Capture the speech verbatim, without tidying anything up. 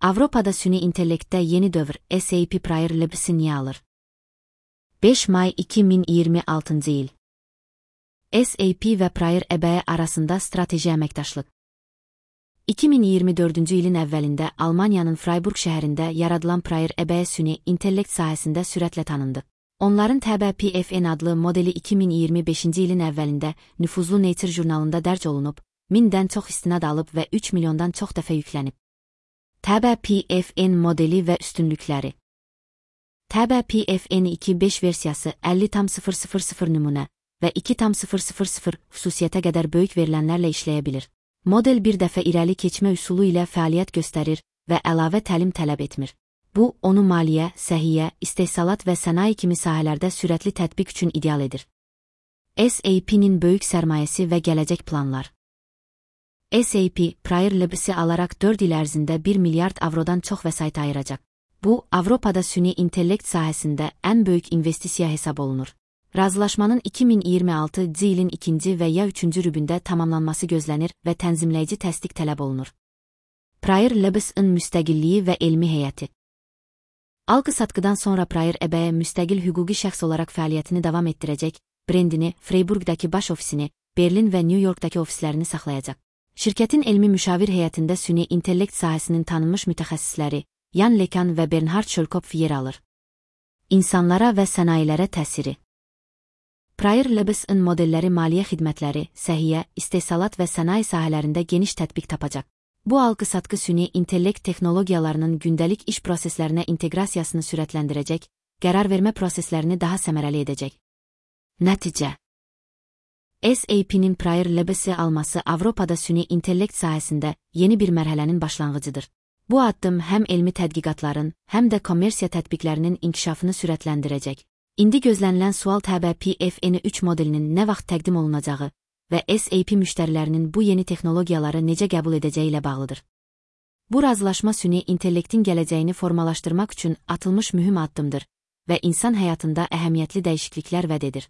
Avropada süni intellektdə yeni dövr S A P Prior Labs'i niyə alır? beş may iki min iyirmi altıncı il. S A P və Prior E B arasında strateji əməkdaşlıq. iki min iyirmi dördüncü ilin əvvəlində Almaniyanın Freiburg şəhərində yaradılan Prior E B süni intellekt sahəsində sürətlə tanındı. Onların T B P F N adlı modeli iki min iyirmi beşinci ilin əvvəlində nüfuzlu Nature jurnalında dərc olunub, mindən çox istinad alıb və üç milyondan çox dəfə yüklənib. T B P F N modeli və üstünlükləri. T B P F N iki beş versiyası əlli tam sıfır sıfır sıfır nümunə və iki tam sıfır sıfır sıfır xüsusiyyətə qədər böyük verilənlərlə işləyə bilir. Model bir dəfə irəli keçmə üsulu ilə fəaliyyət göstərir və əlavə təlim tələb etmir. Bu, onu maliyyə, səhiyyə, istehsalat və sənaye kimi sahələrdə sürətli tətbiq üçün ideal edir. S A P'nin böyük sərmayəsi və gələcək planlar. S A P, Prior Labs'i alaraq dörd il ərzində bir milyard avrodan çox vəsait ayıracaq. Bu, Avropada süni intellekt sahəsində ən böyük investisiya hesab olunur. Razılaşmanın iki min iyirmi altıncı ilin ikinci və ya üçüncü rübündə tamamlanması gözlənir və tənzimləyici təsdiq tələb olunur. Prior Labs'ın müstəqilliyi və elmi heyəti. Alqı-satqıdan sonra Prior E B müstəqil hüquqi şəxs olaraq fəaliyyətini davam etdirəcək, brendini, Freiburgdakı baş ofisini, Berlin və New Yorkdakı ofislərini saxlayacaq. Şirkətin elmi müşavir heyətində süni intellekt sahəsinin tanınmış mütəxəssisləri, Jan LeCun və Bernhard Schölkopf yer alır. İnsanlara və sənayelərə təsiri. Prior Labs'ın modelləri maliyyə xidmətləri, səhiyyə, istehsalat və sənaye sahələrində geniş tətbiq tapacaq. Bu alqı-satqı süni intellekt texnologiyalarının gündəlik iş proseslərinə inteqrasiyasını sürətləndirəcək, qərar vermə proseslərini daha səmərəli edəcək. Nəticə. S A P'nin Prior Labs'i alması Avropada süni intellekt sahəsində yeni bir mərhələnin başlanğıcıdır. Bu addım həm elmi tədqiqatların, həm də kommersiya tətbiqlərinin inkişafını sürətləndirəcək. İndi gözlənilən sual T B P F N üç modelinin nə vaxt təqdim olunacağı və S A P müştərilərinin bu yeni texnologiyaları necə qəbul edəcəyi ilə bağlıdır. Bu razılaşma süni intellektin gələcəyini formalaşdırmaq üçün atılmış mühüm addımdır və insan həyatında əhəmiyyətli dəyişikliklər vəd edir.